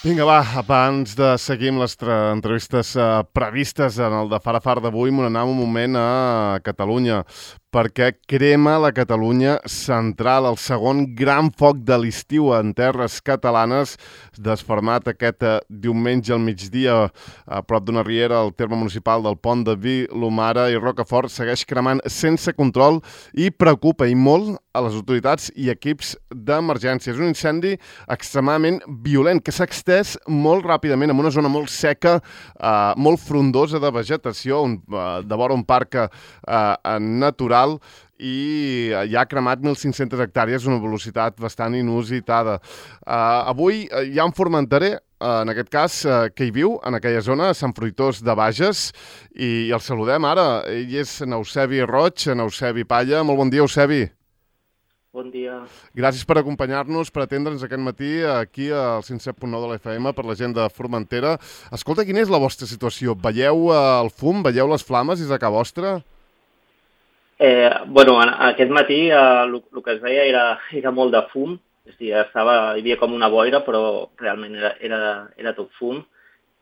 Vinga, va, abans de seguir amb les entrevistes previstes en el de Far a Far d'avui, m'anem un moment a Catalunya, perquè crema la Catalunya central, el segon gran foc de l'estiu en terres catalanes, desfermat aquest diumenge al migdia a prop d'una riera al terme municipal del Pont de Vilomara i Rocafort, segueix cremant sense control i preocupa i molt a les autoritats i equips d'emergència. És un incendi extremadament violent que s'ha extès molt ràpidament en una zona molt seca, molt frondosa de vegetació, de vora un parc natural, i ja ha cremat 1.500 hectàrees a una velocitat bastant inusitada. Avui hi ha un formenterer, en aquest cas, que hi viu en aquella zona, a Sant Fruitós de Bages, i el saludem ara. Ell és Eusebi Roig, Eusebi Palla. Molt bon dia, Eusebi. Bon dia. Gràcies per acompanyar-nos, per atendre'ns aquest matí aquí al 107.9 de l'FM per la gent de Formentera. Escolta, quina és la vostra situació? Veieu el fum? Veieu les flames des de casa vostra? Aquest matí el que es veia era molt de fum, és a dir, hi havia com una boira, però realment era tot fum.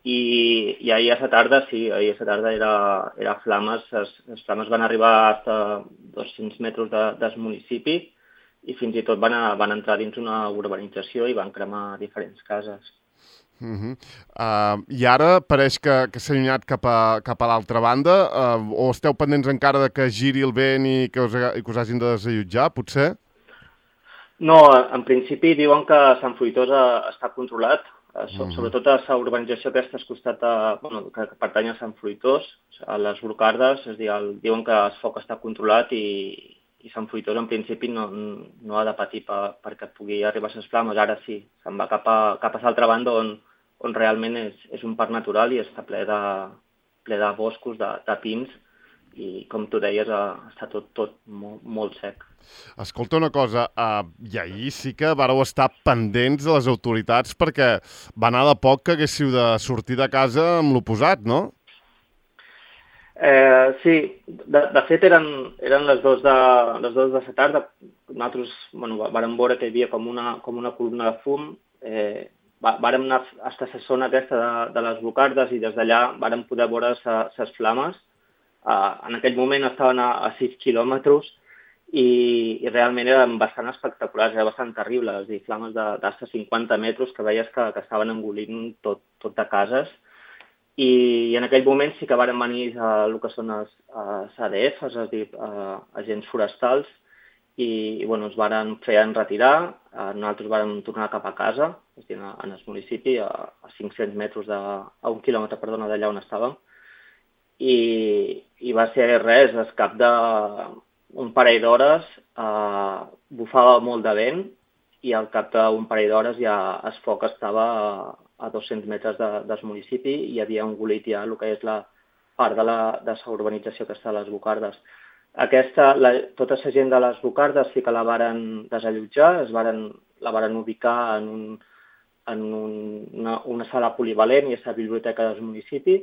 I ahir a la tarda, sí, era flames. Les flames van arribar a 200 metres del municipi i fins i tot van entrar dins una urbanització i van cremar diferents cases. I ara pareix que s'ha allunyat cap a l'altra banda, o esteu pendents encara que giri el vent i que us hagin de desallotjar, potser? No, en principi diuen que Sant Fruitós està controlat, sobretot a la urbanització aquesta al costat, que pertany a Sant Fruitós, a les Brocardes, és a dir, diuen que el foc està controlat i Sant Fruitós en principi no ha de patir perquè pugui arribar a les flames. Ara sí, se'n va cap a l'altra banda on realment és un parc natural i està ple de boscos, de pins, i com tu deies, està tot molt sec. Escolta una cosa, i ahir sí que vareu estar pendents de les autoritats perquè va anar de poc que haguéssiu de sortir de casa amb l'oposat, no? Sí, de fet eren les dues de la tarda. Nosaltres vàrem veure que hi havia com una columna de fum. Vàrem anar a la zona aquesta de les Brocardes i des d'allà vàrem poder veure les flames. En aquell moment estaven a 6 quilòmetres i realment eren bastant espectaculars, era bastant terrible, és a dir, flames d'hasta 50 metres que veies que estaven engolint tot de cases. I en aquell moment sí que varen venir el que són els ADFs, és a dir, agents forestals, i ens varen fer enretirar. Nosaltres vàrem tornar cap a casa, és a dir, en el municipi, a 500 metres, a 1 quilòmetre, perdona, d'allà on estàvem. I va ser res, al cap d'un parell d'hores bufava molt de vent i al cap d'un parell d'hores ja el foc estava a 200 metres del municipi i havia engolit ja el que és la part de la urbanització que està a les Brocardes. Tota la gent de les Brocardes sí que la varen desallotjar, la varen ubicar en una sala polivalent i a la biblioteca del municipi.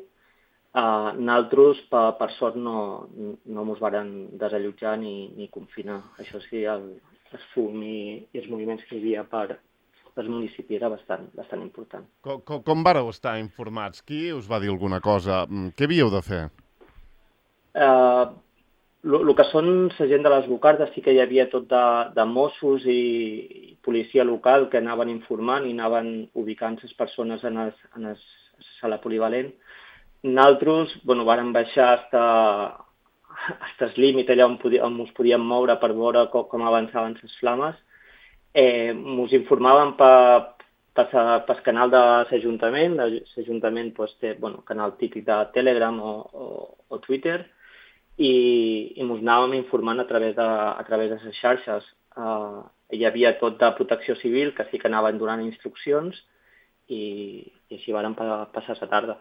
Nosaltres, per sort, no ens varen desallotjar ni confinar. Això sí, el fum i els moviments que hi havia per el municipi era bastant important. Com vareu estar informats? Qui us va dir alguna cosa? Què havíeu de fer? El que són la gent de les Brocardes sí que hi havia tot de Mossos i policia local que anaven informant i anaven ubicant les persones en la sala polivalent. Nosaltres vàrem baixar fins al límit allà on ens podíem moure per veure com avançaven les flames. Ens informaven pel canal de l'Ajuntament. L'Ajuntament té canal típic de Telegram o Twitter i ens anàvem informant a través de les xarxes. Hi havia tot de protecció civil que sí que anaven donant instruccions i així vàrem passar la tarda.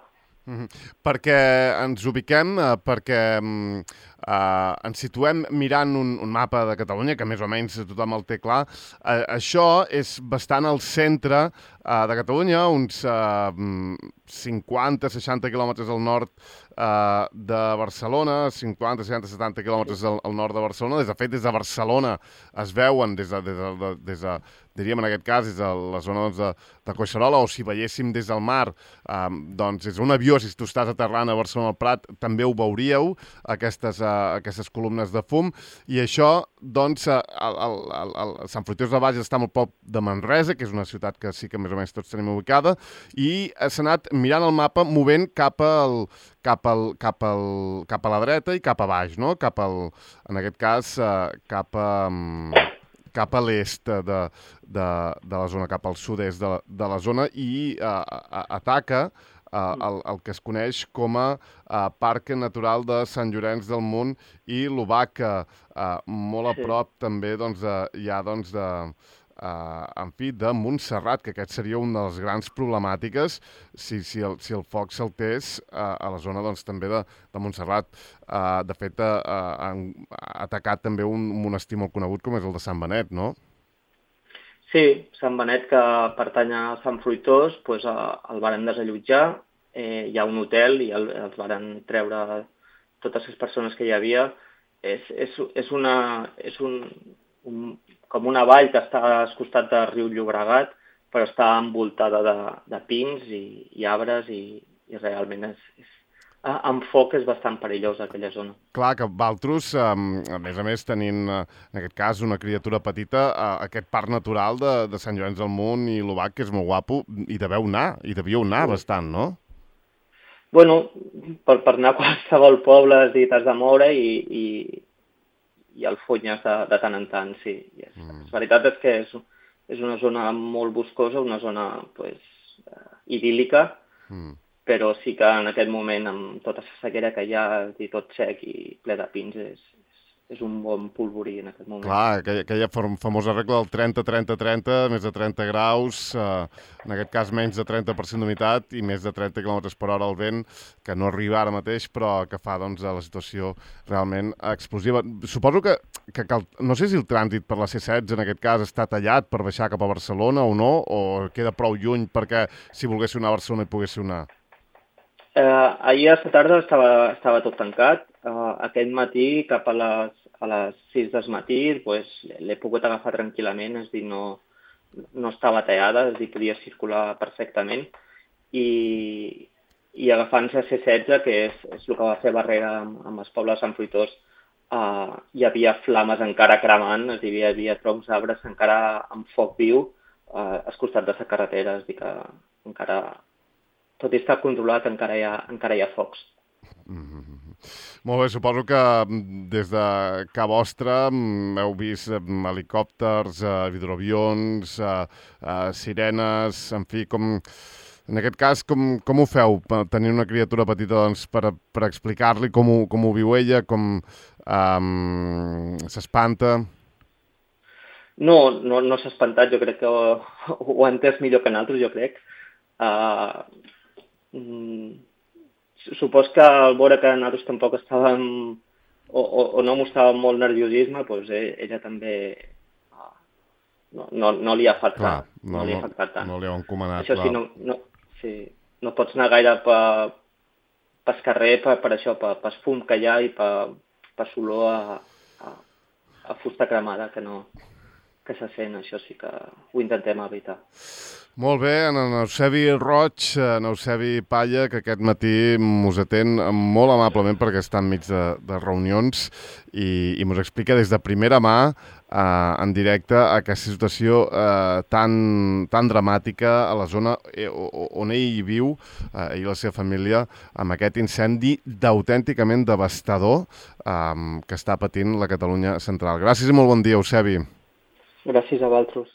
Perquè ens ubiquem, perquè ens situem mirant un mapa de Catalunya, que més o menys tothom el té clar. Això és bastant al centre de Catalunya, uns 50-60 quilòmetres al nord de Barcelona, 50, 60, 70 quilòmetres al nord de Barcelona. De fet, des de Barcelona es veuen, diríem en aquest cas, des de la zona doncs, de Collserola, o si veiéssim des del mar, doncs des d'un avió, si tu estàs aterrant a Barcelona al Prat, també ho veuríeu, aquestes columnes de fum, i això, doncs, Sant Fruitós de Bages està al prop de Manresa, que és una ciutat que sí que més o menys tots tenim ubicada, i s'ha anat mirant el mapa, movent cap a la dreta i cap a baix, no? En aquest cas, cap a l'est de la zona, cap al sud-est de la zona, i ataca el que es coneix com a Parc Natural de Sant Llorenç del Munt i l'Obaca, molt a prop també doncs, en fi, de Montserrat, que aquest seria una de les grans problemàtiques si el foc saltés a la zona doncs, també de Montserrat. De fet, han atacat també un monestir molt conegut com és el de Sant Benet, no? Sí, Sant Benet, que pertany a Sant Fruitós, doncs el varen desallotjar, hi ha un hotel i els varen treure totes les persones que hi havia. És com una vall que està al costat del riu Llobregat, però està envoltada de pins i arbres i realment amb foc és bastant perillós aquella zona. Clar, que Valtros, a més tenint, en aquest cas, una criatura petita, aquest parc natural de Sant Llorenç del Munt i l'Obac, que és molt guapo, hi devíeu anar bastant, no? Bueno, per anar a qualsevol poble t'has de moure i el funyes de tant en tant, sí. La veritat és que és una zona molt boscosa, una zona idíl·lica, però sí que en aquest moment, amb tota la sequera que hi ha, i tot sec i ple de pins, és un bon polvorí en aquest moment. Clar, aquella famosa regla del 30-30-30, més de 30 graus, en aquest cas menys de 30% d'humitat i més de 30 km per hora al vent, que no arriba ara mateix, però que fa doncs, la situació realment explosiva. Suposo que no sé si el trànsit per la C16 en aquest cas està tallat per baixar cap a Barcelona o no, o queda prou lluny perquè si volguéssiu anar a Barcelona hi poguéssiu anar? Ahir a la tarda estava tot tancat. Aquest matí, cap a les 6 del matí, l'he pogut agafar tranquil·lament, és a dir, no estava tallada, és a dir, podia circular perfectament. I agafant la C16, que és el que va fer barrera amb el poble de Sant Fruitós, hi havia flames encara cremant, és a dir, hi havia troncs d'arbres encara amb foc viu al costat de la carretera, és a dir, que encara, tot i estar controlat, encara hi ha focs. Molt bé, suposo que des de casa vostra heu vist helicòpters, hidroavions, sirenes, en fi, en aquest cas, com ho feu, tenir una criatura petita doncs, per explicar-li com ho viu ella, com s'espanta? No s'ha espantat, jo crec que ho ha entès millor que nosaltres, jo crec. Supos que al veure que nosaltres tampoc estàvem o no mostràvem molt nerviosisme, doncs ella també no li ha afectat. No li ha encomanat. Això sí, no pots anar gaire pel carrer per això, pel fum que hi ha i per l'olor a fusta cremada que se sent. Això sí que ho intentem evitar. Molt bé, en Eusebi Roig, en Eusebi Palla, que aquest matí us atén molt amablement perquè està enmig de reunions i us explica des de primera mà, en directe, aquesta situació tan dramàtica a la zona on ell viu, ell i la seva família, amb aquest incendi d'autènticament devastador que està patint la Catalunya central. Gràcies i molt bon dia, Eusebi. Gràcies a vosaltres.